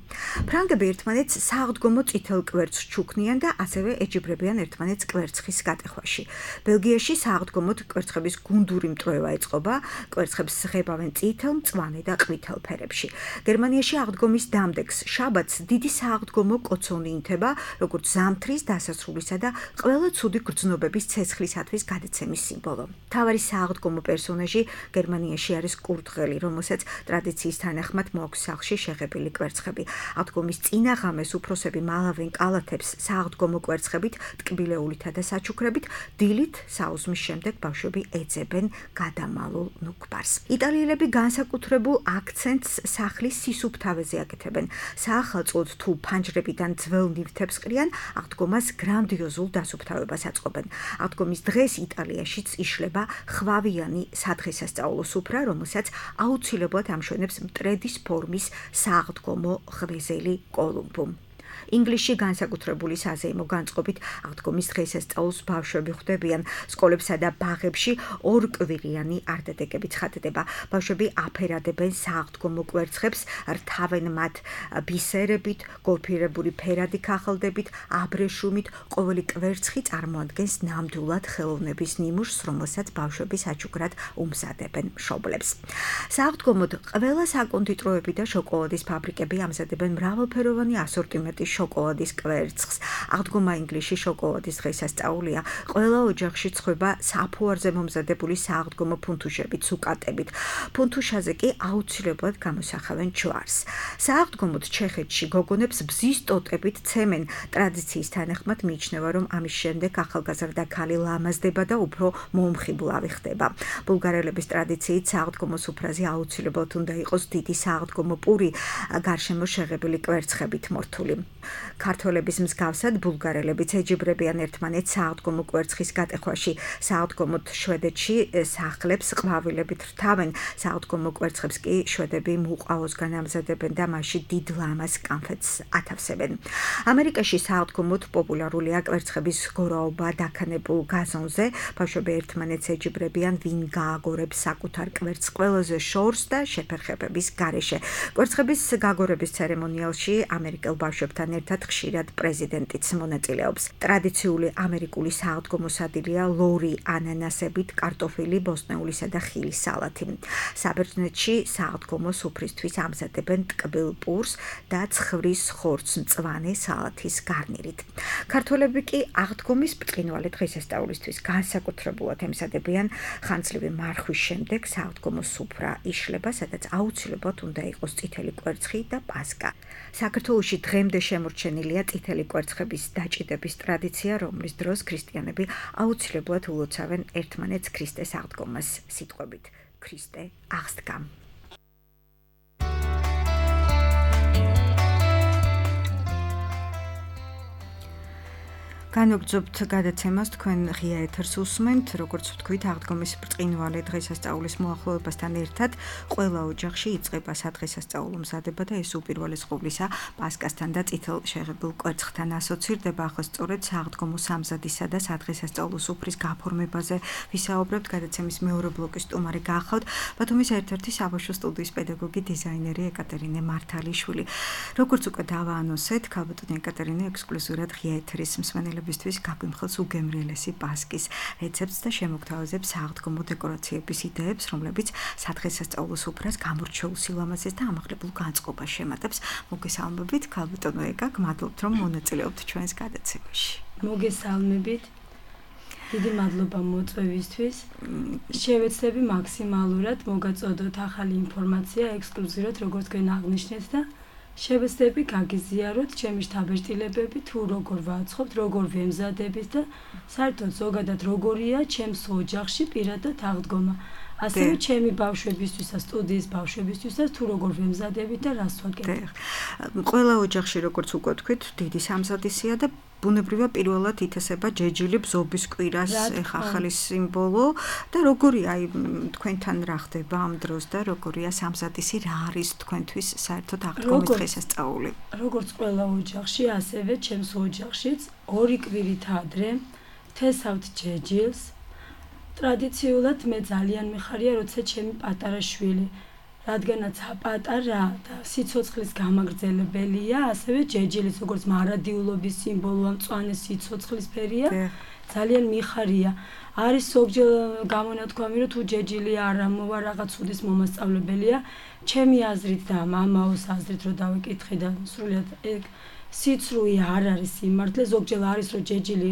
ფრანგები ერთმანეთს სააღდგომო წითელ კვერცხს ჩუქნიან და ასევე ეჯიბრებიან ერთმანეთს კვერცხის გატეხვაში. ბელგიაში სააღდგომოდ კვერცხების გუნდური მტროევა ეწყობა, კვერცხებს ღებავენ წითელ, მწვანე და ყვითელ ფერებში. გერმანიაში აღდგომის დამდეგს შაბათს დიდი სააღდგომო კოცონი ინთება, როგორც ზამთრის დასასრულისა და ყველა ცუდი გრძნობების ცეცხლისათვის გადაცემის სიმბოლო. მთავარი სააღდგომო პერსონაჟი გერმანიაში არის კურდღელი, რომელსაც ტრადიციის თანახმად მოაქვს სახლში შეღებილი კვერცხები. აღდგომის წინა ღამეს უფროსები მალავენ კალათებს სააღდგომო კვერცხებით, ტკბილეულითა და საჩუქრებით, დილით საუზმის შემდეგ ბავშვები ეძებენ გადამალულ ნუგბარს. იტალიელები განსაკუთრებულ აქცენტს სახლის სისუფთავეზე აკეთებენ. საახალწლოდ თუ ფანჯრებიდან ძველ ნივთებს ყრიან, აღდგომას გრანდიოზულ დასუფთავებას აწყობენ. აღდგომის დღეს იტალიაშიც იშლება ხვავიანი სადღესასწაულო სუფრა, რომელსაც აუცილებლად ამშვენებს მტრედის ფორმის სააღდგომო ღვეზელი კოლუმბუ. ინგლისში განსაკუთრებული საზეიმო განწყობით აღდგომის დღესასწაულს ბავშვები ხვდებიან. სკოლებსა და ბაღებში ორკვირიანი არტეტეკები ცხადდება. ბავშვები აფერადებენ სააღდგომო კვერცხებს, რთავენ მათ ბისერებით, გოლფირებული ფერადი ქაღალდებით, აბრეშუმით. ყოველი კვერცხი წარმოადგენს ნამდვილად ხელოვნების ნიმუშს, რომელსაც ბავშვები საჩუქრად უმზადებენ მშობლებს. სააღდგომოდ ყველა საკონდიტროები და შოკოლადის ფაბრიკები ამზადებენ მრავალფეროვანი ასორტიმენტის შოკოლადის კვერცხს. აღდგომა ინგლისში შოკოლადის დღესასწაულია. ყველა ოჯახში ცხება საფუარზე მომზადებული სააღდგომო ფუნთუშებით, სუკატებით. ფუნთუშაზე კი აუცილებლად გამოსახავენ ჯვარს. სააღდგომოდ ჩეხეთში გოგონებს ბზის ტოტებით ცემენ. ტრადიციის თანახმად მიიჩნევა, რომ ამის შემდეგ ახალგაზრდა ქალი ლამაზდება და უფრო მომხიბლავი ხდება. ბულგარელების ტრადიციით სააღდგომო სუფრაზე აუცილებლად უნდა იყოს დიდი სააღდგომო პური, გარშემო შეღებილი კვერცხებით მორთული. ქართველების მსგავსად ბულგარელებიც ეჯიბრებიან ერთმანეთს სააღდგომო კვერცხის გატეხვაში. სააღდგომოდ შვედეთში სახლებს ყვავილებით რთავენ. სააღდგომო კვერცხებს კი შვედები მუყაოსგან ამზადებენ და მასში დიდ ლამაზ კანფეტს ათავსებენ. ამერიკაში სააღდგომოდ პოპულარულია კვერცხების გორაობა დაქანებულ გაზონზე. ბავშვები ერთმანეთს ეჯიბრებიან, ვინ გააგორებს საკუთარ კვერცხს ყველაზე შორს და შეფერხებების გარეშე. კვერცხების გაგორების ცერემონიალში ამერიკელ ბავშვებთან ერთად ხშირად პრეზიდენტიც მონაწილეობს. ტრადიციული ამერიკული სააღდგომო სადილია ლორი ანანასებით, კარტოფილი, ბოსტნეულისა და ხილის სალათი. საბერძნეთში სააღდგომო სუფრისთვის ამზადებენ ტკბილ პურს და ცხვრის ხორცს მწვანე სალათის გარნირით. ქართველები კი აღდგომის ბრწყინვალე დღესასწაულისთვის განსაკუთრებულად ემზადებიან. ხანძლივი მარხვის შემდეგ სააღდგომო სუფრა იშლება, სადაც აუცილებლად უნდა იყოს წითელი კვერცხი და პასკა. საქართველოში დღემდე შემორჩენილია წითელი კვერცხების დაჭიდების ტრადიცია, რომლის დროს ქრისტიანები აუცილებლად ულოცავენ ერთმანეთს ქრისტეს აღდგომას სიტყვებით ქრისტე აღსდგა. განვაგრძობთ გადაცემას, თქვენ ღია ეთერს უსმენთ, როგორც ვთქვით, აღდგომის ბრწყინვალე დღესასწაულის მოახლოებასთან ერთად ყველა ოჯახში იწყება სადღესასწაულო მზადება და ეს უპირველეს ყოვლისა პასკასთან და წითელ შეღებილ კვერცხთან ასოცირდება. ახლა სწორედ სააღდგომო სამზადისა და სადღესასწაულო სუფრის გაფორმებაზე ვისაუბრებთ. გადაცემის მეორე ბლოკის სტუმარი გახავთ ბათუმის ერთ-ერთი საბავშვო სტუდიის პედაგოგი, დიზაინერი ეკატერინე მართალიშვილი. როგორც უკვე დავაანონსეთ, ქალბატონი ეკატერინე ექსკლუზიურად ღია ეთერის მსმენელებს გაგვიმხელს უგემრიელესი პასკის რეცეპტს და შემოგთავაზებს სააღდგომო დეკორაციების იდეებს, რომლებიც სადღესასწაულო სუფრას გამორჩეულ სილამაზეს და ამაღლებულ განწყობას შემატებს. მოგესალმებით, ქალბატონო ეკა, გმადლობთ, რომ მონაწილეობთ ჩვენს გადაცემაში. მოგესალმებით. დიდი მადლობა მოწვევისთვის. შევეცდები მაქსიმალურად მოგაწოდოთ ახალი ინფორმაცია ექსკლუზიურად, როგორც თქვენ აღნიშნეთ და შევეცდები გაგიზიაროთ ჩემი შთაბეჭდილებები, თუ როგორ ვაცხობთ, როგორ ვემზადებით და საერთოდ ზოგადად როგორია ჩემს ოჯახში პირადად აღდგომა. ასევე ჩემი ბავშვებისთვისაც, სტუდიის ბავშვებისთვისაც თუ როგორ ვემზადებით და რას ვაკეთებ. ყველა ოჯახში როგორც უკვე თქვით, დიდი სამზადისია და ბუნებრივია პირველად ითესება ჯეჯილი ბზობის კვირას ახალი სიმბოლო და როგორია თქვენთან რა ხდება ამ დროს და როგორია სამზადისი, რა არის თქვენთვის საერთოდ აღდგომის დღესასწაული? როგორც ყველა ოჯახში, ასევე ჩემს ოჯახშიც 2 კვირით ადრე თესავთ ჯეჯილს. ტრადიციულად მე ძალიან მიხარია, როცა ჩემი პატარა შვილი, რადგანაც პატარა და სიცოცხლის გამაგრძელებელია, ასევე ჯეჯილის როგორც მარადიულობის სიმბოლოა, მწვანე სიცოცხლის ფერია, ძალიან მიხარია. არის ზოგჯერ გამონათქვამი, რომ თუ ჯეჯილი არ მოვა რაღაც უდის მომასწავლებელია, ჩემი აზრით და მამაოს აზრით რომ დავიკითხე და სრულიად ეგ სიცრუე არ არის სიმართლე, ზოგჯერ არის რომ ჯეჯილი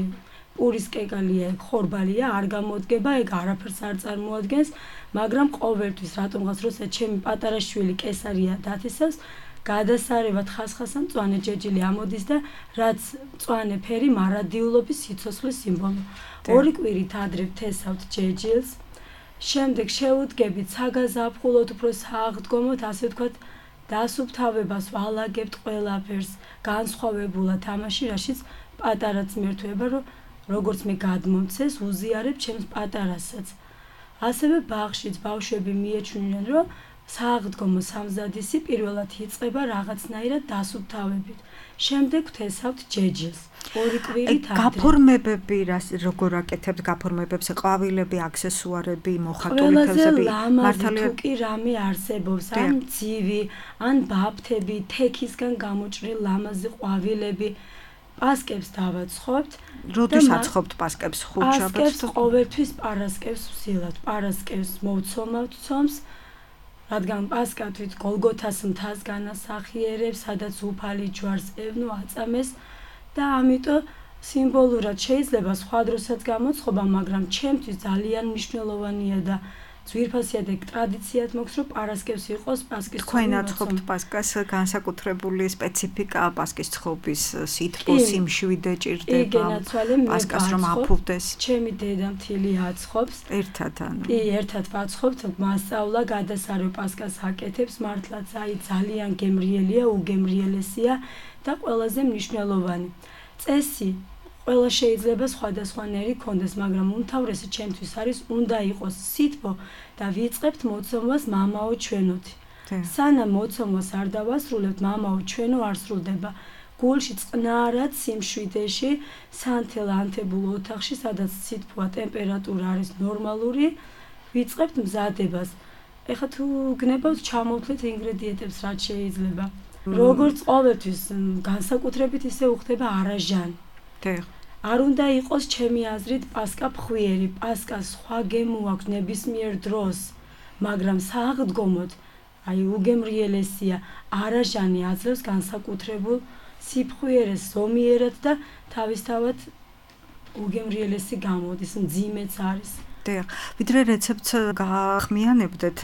პურის კეკალია, ხორბალია, არ გამოდგება, ეგ არაფერს არ წარმოადგენს, მაგრამ ყოველთვის რატომღაც როცა ჩემი პატარა შვილი კესარია დათესავს, გადასარევად ხასხასა მწვანე ჯეჯილი ამოდის და რაც მწვანე ფერი მარადიულობის სიცოცხლის სიმბოლო. 2 კვირით ადრე თესავთ ჯეჯილს, შემდეგ შეუდგებით საგაზაფხულოდ უფრო სააღდგომოდ, ასე ვთქვათ, დასუფთავებას ვალაგებთ ყველაფერს, განსხვავებულად ამაში, რაშიც პატარა ძმერთვება, რომ როგორც მე გადმომცეს, უზიარებ ჩემს პატარასაც. ასევე ბაღშიც ბავშვები მიეჩვენენ, რომ სააღდგომო სამზადისი პირველად იწყება რაღაცნაირად დასუფთავებით. შემდეგ ვთესავთ ჯეჯილს. 2 კვირით ადრე. გაფორმებები როგორ აკეთებთ გაფორმებებს? ყვავილები, აქსესუარები, მოხატული თევზები, მართალია თუ კი რამე არსებობს, ან ძივი, ან ბაფთები, თექისგან გამოჭრილი ლამაზი ყვავილები. პასკებს დავაცხობთ. როდის აცხობთ პასკებს? ხუთშაბათს? პასკებს ყოველთვის პარასკევს ვსილავთ. პარასკევს მოვცომავთ ცომს, რადგან პასკა თვით გოლგოთას მთას განასახიერებს, სადაც უფალი ჯვარს ევნო აწამეს და ამიტომ სიმბოლურად შეიძლება სხვა დროსაც გამოცხობა, მაგრამ ჩემთვის ძალიან მნიშვნელოვანია და ძვირფასია და ტრადიციად მოხს, რომ პარასკევს იყოს პასკის ცხობი. თქვენ აცხობთ პასკას, განსაკუთრებული სპეციფიკა პასკის ცხობის, სითბო, სიმშვიდე ჭირდება. პასკას რომ აფუვდეს. ჩემი დედამთილი აცხობს. ერთად ანუ. კი, ერთად ვაცხობთ, მასწავლა გადასარევ პასკას აკეთებს, მართლაც აი ძალიან გემრიელია, უგემრიელესია და ყველაზე მნიშვნელოვანი. წესი ყველა შეიძლება სხვადასხვანაირი კონდეს, მაგრამ უმთავრესი ჩემთვის არის უნდა იყოს სითბო და ვიწყებთ მოცემას მამაო ჩვენოთი. სანამ მოცემას არ დავასრულებთ, მამაო ჩვენო არ სრულდება. გულში წყნარად სიმშვიდეში, სანთელ ანთებულ ოთახში, სადაც სითბოა ტემპერატურა არის ნორმალური, ვიწყებთ მზადებას. ეხლა თუ გნებავთ ჩამოვთვლით ინგრედიენტებს, რაც შეიძლება. როგორც ყოველთვის განსაკუთრებით ისე უხდება არაჟანი. არ უნდა იყოს ჩემი აზრით პასკა ფხვიერი, პასკას სხვა გემო აქვს ნებისმიერ დროს, მაგრამ სააღდგომოდ, აი უგემრიელესია, არაჟანი აძლევს განსაკუთრებულ სიფხვიერეს ზომიერად და თავისთავად უგემრიელესი გამოდის, მძიმეც არის. ვიდრე რეცეპტს გაახმიანებდეთ,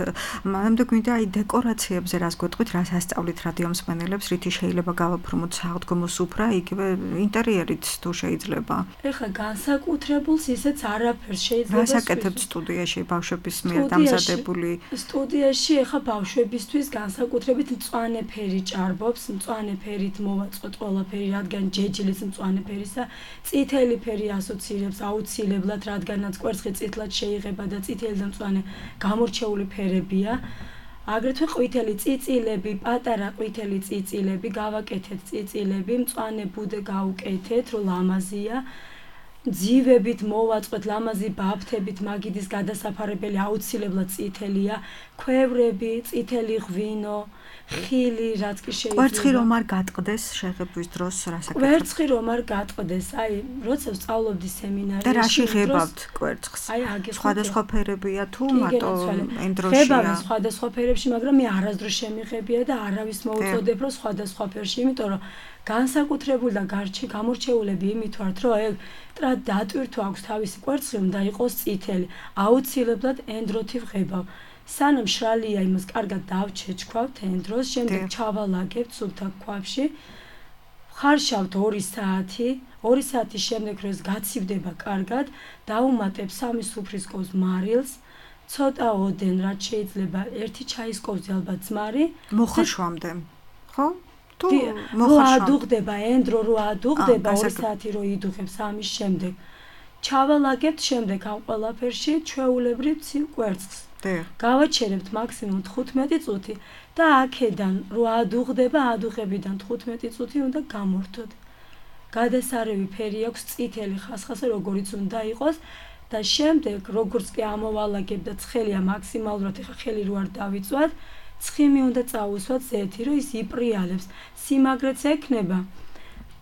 მანამდე გვინდა აი დეკორაციებზე რას გვეტყვით, რას ასწავლით რადიო მსმენელებს, რითი შეიძლება გავაფორმოთ სააღდგომო სუფრა, იგივე ინტერიერით თუ შეიძლება. ეხლა განსაკუთრებულს ისეც არაფერს შეიძლება. რას აკეთებთ სტუდიაში ბავშვების მიერ დამზადებული? სტუდიაში ეხლა ბავშვებისთვის განსაკუთრებით მწვანე ფერი ჭარბობს, მწვანე ფერით მოვაწყოთ ყველაფერი, რადგან ჯეჯილის მწვანე ფერისა, წითელი ფერი ასოცირებს აუცილებლად, რადგანაც კვერცხი წითლად შეიღება და წითელი და მწვანე გამორჩეული ფერებია. აგრეთვე ყვითელი წიწილები, პატარა ყვითელი წიწილები, გავაკეთეთ წიწილები, მწვანე ბუდე გავუკეთეთ, რომ ლამაზია. ძივებით მოვაწყოთ, ლამაზი ბაფთებით, მაგიდის გადასაფარებელი აუცილებლად წითელია, ქვევრები, წითელი ღვინო, ხილი, რაც კი შეიძლება. კვერცხი რომ არ გატყდეს შეღებვის დროს რას აკეთებთ? კვერცხი რომ არ გატყდეს, აი, როცა ვსწავლობდი სემინარიაში. და რაში ღებავთ კვერცხს? აი, აგერ სხვადასხვა ფერებია თუ მარტო ენდროშია? ღებავენ სხვადასხვა ფერებში, მაგრამ მე არასდროს შემიღებია და არავის მოუწოდებ, რომ სხვადასხვა ფერში, იმიტომ რომ განსაკუთრებული და გამორჩეულები იმით ვართ, რომ ეგ დატვირთვა აქვს თავისი კვერცხი, უნდა იყოს წითელი. აუცილებლად ენდროთი ვღებავ. სანამ შრალია იმას კარგად დავჩეჩქვავთ ენდროს, შემდეგ ჩავალაგებთ სუფთა ქვაბში. ხარშავთ 2 საათი, 2 საათის შემდეგ როდეს გაცივდება კარგად, დავუმატებ 3 სუფრის კოს მარილს, ცოტა ოდენ რაც შეიძლება ერთი ჩაის კოვზი ალბათ ძმარი მოხაშვამდე ხო თუ რო ადუღდება ენდრო რო ადუღდება 2 საათი რო იდუღებს ამის შემდეგ ჩავალაგებთ შემდეგ ამ ყველაფერში ჩვეულებრივ ცივ კვერცხს გავაჩერებთ მაქსიმუმ 15 წუთი და აქედან რო ადუღდება ადუღებიდან 15 წუთი უნდა გამორთოთ გადასარევი ფერი აქვს წითელი ხასხასა როგორიც უნდა იყოს და შემდეგ როგორც კი ამოვალაგებ და ცხელია მაქსიმალურად ეხა ხელი რო არ დავიწვათ ცხიმი უნდა წაუსვათ ზეთი რომ ის იპრიალებს სიმაგრეც ექნება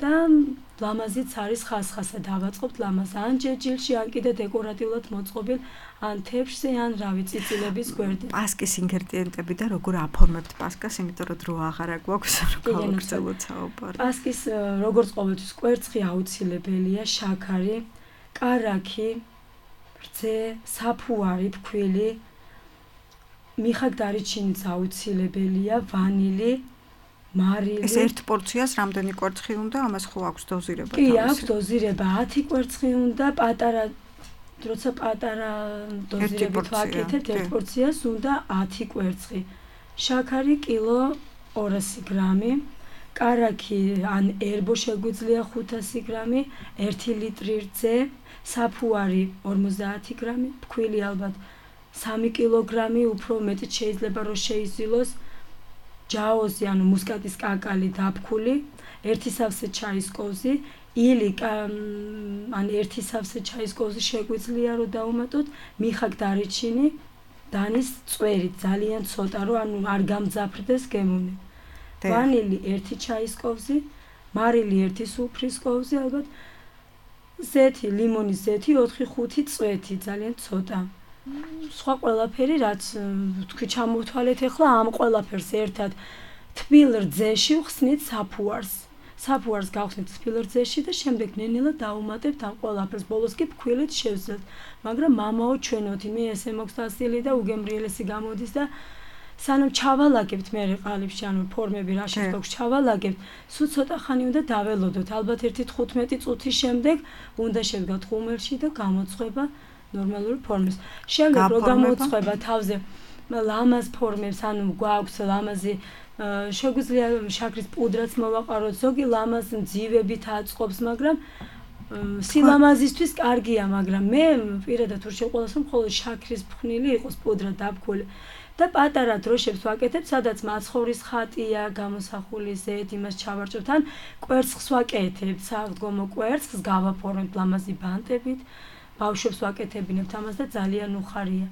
და ლამაზიც არის ხასხასა დავაწყობთ ლამაზ ან ჯეჯილში ან კიდე დეკორატიულად მოწყობილ ან თეფშზე ან რავი წიწილების გვერდზე პასკის ინგრედიენტები და როგორ აფორმებთ პასკას იმიტომ რომ დრო აღარა გვაქვს რომ გავაგრძელოთ საუბარი პასკის როგორც ყოველთვის კვერცხი აუცილებელია შაქარი კარაქი რძე საფუარი ფქვილი მიხაკდარიჩინიც აუცილებელია ვანილი მარილი ეს ერთ პორციას რამდენი კვერცხი უნდა ამას ხო აქვს დოზირება კი აქვს დოზირება 10 კვერცხი უნდა პატარა როცა პატარა დოზირებით ვაკეთებთ ერთ პორციას უნდა 10 კვერცხი შაქარი კილო 200 გრამი კარაქი ან ერბო შეგვიძლია 500 გრამი 1 ლიტრი რძე საფუარი 50 გრამი ფქვილი ალბათ 3 კილოგრამი უფრო მეტი შეიძლება რომ შეიზილოს ჯაოზი ანუ მუსკატის კაკალი დაფქული 1 სავსე ჩაის კოვზი ილი ან 1 სავსე ჩაის კოვზი შეგვიძლია რომ დაუმატოთ მიხაკდარიჩინი დანის წვერი ძალიან ცოტა რომ ანუ არ გამძაფრდეს გემუნე ვანილი 1 ჩაის კოვზი მარილი 1 სუფრის კოვზი ალბათ ზეთი ლიმონის ზეთი 4-5 წვეთი ძალიან ცოტა სხვა ყველაფერი რაც თქვი ჩამოვთვალეთ ახლა ამ ყველაფერს ერთად თბილ რძეში ვხსნით საფუარს გავხსნით თბილ რძეში და შემდეგ ნენელა დავუმატებთ ამ ყველაფერს ბოლოს კი ფქვილით შევძლებთ მაგრამ მამაო ჩვენოთი მე ესე მოქვს დასილი და უგემრიელესი გამოდის და სანამ ჩავალაგებთ მე ყალიბში ანუ ფორმები რა შეგვაქვს ჩავალაგებთ სულ ცოტა ხანი უნდა დაველოდოთ ალბათ 1-15 წუთის შემდეგ უნდა შევდგათ ხუმელში და გამოწყვება ნორმალური ფორმის. შემდეგ რო გამოწყვება თავზე ლამაზ ფორმებს, ანუ გვაქვს ლამაზი შეგვიძლია შაქრის პუდრაც მოვაყაროთ, ზოგი ლამაზ ძივებით აწყობს, მაგრამ სილამაზისთვის კარგია, მაგრამ მე პირადად ურჩევ ყველას რომ მხოლოდ შაქრის ფხვნილი იყოს პუდრა დაფქული. და პატარა დროშებს ვაკეთებ, სადაც მაცხოვრის ხატია, გამოსახული ზეთ, იმას ჩავარჭევთ, ან კვერცხს ვაკეთებ, საღდგომო კვერცხს გავაფორმებ ლამაზი ბანტებით. ბავშვებს ვაკეთებინებთ ამას და ძალიან უხარია.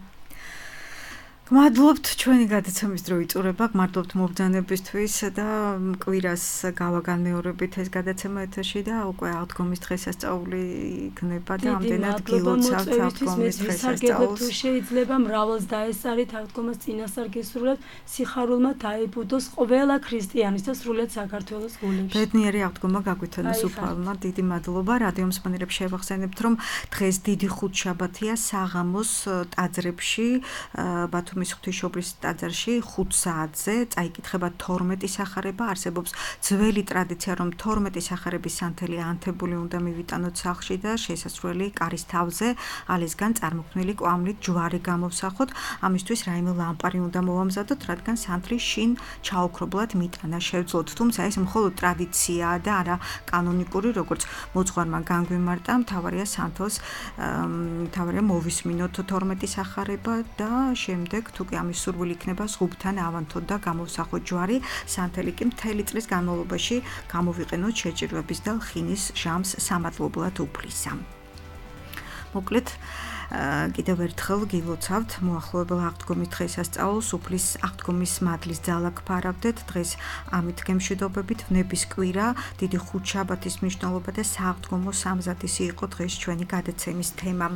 გმადლობთ ჩვენი გადაცემის დრო იწურება, გმადლობთ მობრძანებისთვის და კვირას გავაგანმეორებით ეს გადაცემა ეთერში და უკვე აღდგომის დღესასწაული იქნება და ამდენად გილოცავთ აღდგომის დღესასწაულს. თუ შეიძლება მრავლს დაესწარით აღდგომას წინასწარ გისურვებთ, სიხარულმა დაიბუდოს ყველა ქრისტიანის და სრულიად საქართველოს გულებში. ბედნიერი აღდგომა გაგვითანოს უფალმა. დიდი მადლობა. რადიო მსმენელებს შევახსენებთ, რომ დღეს დიდი ხუთშაბათია საღამოს ტაძრებში ბათუმის ღვთისმშობლის ტაძარში 5 საათზე წაიკითხება 12 სახარება. არსებობს ძველი ტრადიცია, რომ 12 სახარების სანთელი ანთებული უნდა მივიტანოთ სახლში და შესასვლელი კარის თავზე ალისგან წარმოქმნილი კვამლით ჯვარი გამოვსახოთ. ამისთვის რაიმე ლამპარი უნდა მოვამზადოთ, რადგან სანთლი შინ ჩაოქრობლად მიტანა შევძლოთ. თუმცა ეს მხოლოდ ტრადიციაა და არა კანონიკური, როგორც მოძღვარმა განგვიმარტა, მთავარია სანთელს მთავარია მოვისმინოთ 12 სახარება და შემდეგ თუ კი ამის სურვილი იქნება ზღუბთან ავანთოთ და გამოვსახოთ ჯვარი, სანთელი კი მთელი წლის განმავლობაში გამოვიყენოთ შეჭირვების და ლხინის ჟამს სამადლებლად უფლისა. მოკლედ კიდევ ერთხელ გილოცავთ მოახლოებელ აღდგომის დღესასწაულს, უფლის აღდგომის მადლის ძალა გფარავდეთ. დღეს ამით გემშვიდობებით ვნების კვირა, დიდი ხუთშაბათის მნიშვნელობა და სააღდგომო სამზადისი იყო დღეს ჩვენი გადაცემის თემა.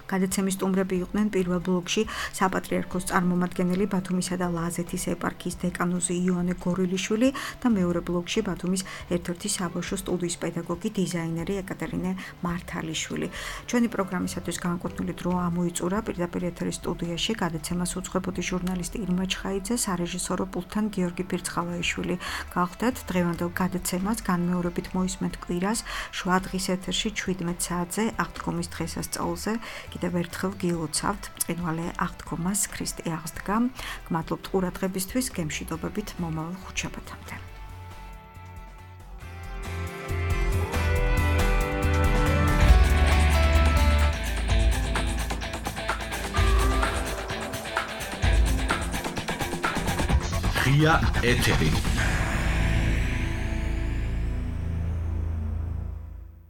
გადაცემის სტუმრები იყვნენ პირველ ბლოკში საპატრიარქოს წარმომადგენელი ბათუმისა და ლაზეთის ეპარქიის დეკანოზი იონე გორილიშვილი და მეორე ბლოკში ბათუმის ერთ-ერთი საბავშვო სტუდიის პედაგოგი დიზაინერი ეკატერინე მართალიშვილი. ჩვენი პროგრამისათვის განკუთვნილი დრო ამოიწურა პირდაპირ ეთერის სტუდიაში გადაცემას უძღვებოდი ჟურნალისტი ირმა ჩხაიძე, სარეჟისორო პულტთან გიორგი ფირცხალაიშვილი. გავხდეთ დღევანდელ გადაცემას განმეორებით მოისმენთ კვირას შუა დღის ეთერში 17 საათზე აღდგომის დღესასწაულზე. კიდევ ერთხელ გილოცავთ ბრწყინვალე აღდგომას ქრისტე აღსდგა. გმადლობთ ყურადღებისთვის, გემშვიდობებით მომავალ ხუთშაბათამდე. ღია ეთერი